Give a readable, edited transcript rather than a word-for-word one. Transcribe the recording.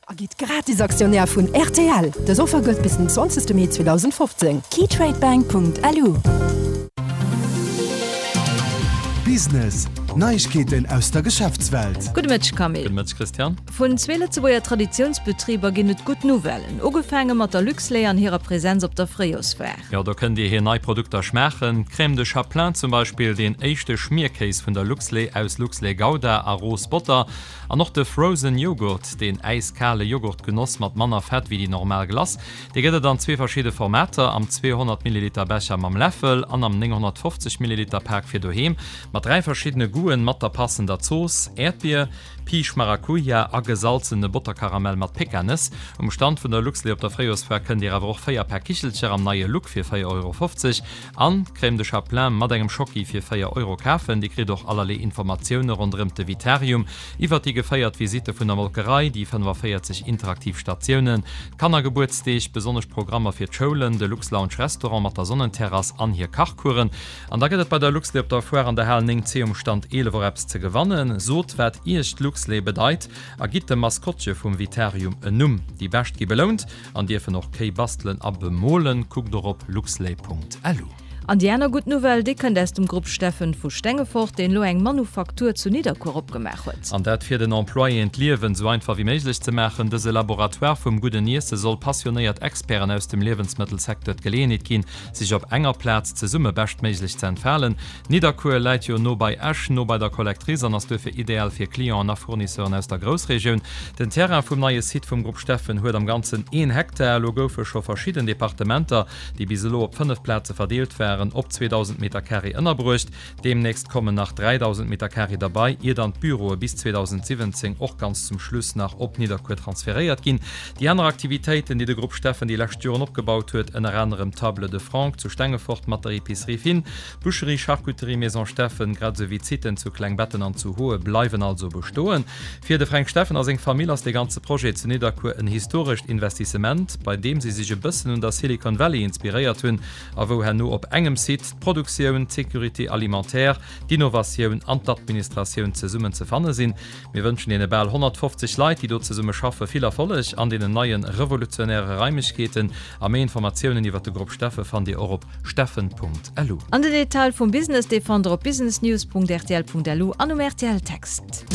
A gitt gratis Aktionär vun rtl! Dës Offer gëllt bis den 20 Mee 2015. Keytradebank.lu. Business, Neiegkeeten aus der Geschäftswelt. Gudde Mëtteg Camille. Gudde Mëtteg Christian. Vun zwee Lëtzebuerger Traditiounsbetriber ginn et gutt Nouvellen. Ugefaange mat der Luxlait an hirer Presenz op der Fréijorsfoire. Jo, do kënnt Dir hir nei Produkter schmaachen. D'Crème de Chaplin zum Beispill, deen éischte Schmierkéis vun der Luxlait aus Luxlait Gouda a Roos Botter. An och de Frozen Yoghurt, deen äiskale Yoghurtgenoss mat manner Fett wéi déi normal Glace, dee gëtt et an zwee verschidde Formater, am 200 Milliliter Becher mam Läffel an am 950 Milliliter Pak fir doheem, mat 3 verschiddene Goûten mat der passender Zooss, Äerdbier, Piisch Maracuja a gesalzene Botterkaramell mat Pekanëss. Um Stand vun der Luxlait op der Fréijorsfoire kënnt Dir awer och 4 Pak Kichelcher am neie Look fir 4,50 Euro An d'Crème de Chaplin mat engem Schocki fir 4 Euro kafen. Dir kritt och allerlee Informatioune ronderëm de Vitarium, iwwert déi geféiert Visitte vun der Molkerei, déi 45 interaktiv Statiounen, d'Kannergebuertsdeeg, besonnesch Programmer fir d'Schoulen, de Lux-Lounge Restaurant mat der Sonnenterrass an hir Kachcoursen. An da gëtt et bei der Luxlait op der Foire an der Hal 9C um Stand 11 och eppes ze gewannen. Sot wat iech d'Luxlait bedeit a gitt dem Maskottche vum Vitarium en Numm. Déi Bescht gi belount. An dierfen och Kéi bastelen a bemolen. Kuckt och op luxlait.lu. An déi aner gutt Nouvelle, déi kënnt aus dem Grupp Steffen vu Stengefort, deen elo eng Manufaktur zu Nidderkuer opgemaach huet. An dat fir den Employéen d'Liewen esou einfach wéi méiglech ze maachen. Dëse Laboratoire vum gudden Iesse soll passionéiert Experten aus dem Liewensmëttelsecteur d'Geleeënheet ginn, sech op enger Plaz zesumme beschtméiglech ze entfalen. Nidderkuer läit jo no bei Esch, no bei der Collectrice an ass duerfir ideal fir Clienten a Fournisseuren aus der Groussregioun. Den Terrain vum neie Site vum Grupp Steffen huet am Ganzen een Hektar. Elo goufe scho verschidden Departementer, déi bis elo op 5 Plaze verdeelt waren, op 2.000 Meter Carré ënnerbruecht. Deemnächst kommen nach 3.000 Meter Carré derbei, ier dann d'Büroe bis 2017 och ganz zum Schluss nach op Nidderkuer transferéiert ginn. Déi aner Aktivitéiten, déi de Grupp Steffen déi lescht Joren opgebaut huet, ënner anerem d'Table de Franck zu Stengefort mat der Epicerie Fine, D'Boucherie Charcuterie Maison Steffen, grad esou wéi d'Siten zu Klengbetten an zu Hoe bleiwen also bestoen. Fir de Fränk Steffen a seng Famill ass dee ganze Projet zu Nidderkuer en historescht Investissement, bei deem si sech e bëssen un der Silicon Valley inspiréiert hunn a wou herno op engem Site d'Produktioun, d'Sécurité alimentaire, d'Innovatioun an d'Administratioun zesummen ze fanne sinn. Mir wënschen deene bal 150 Leit, déi do zesumme schaffe, vill Erfolleg an deenen neie revolutionäre Raimlechkeeten. A méi Informatiounen iwwer de Grupp Steffen fannt Dir och op steffen.lu. An den Detail vum Business, dee fannt der op businessnews.rtl.lu an um RTL Text.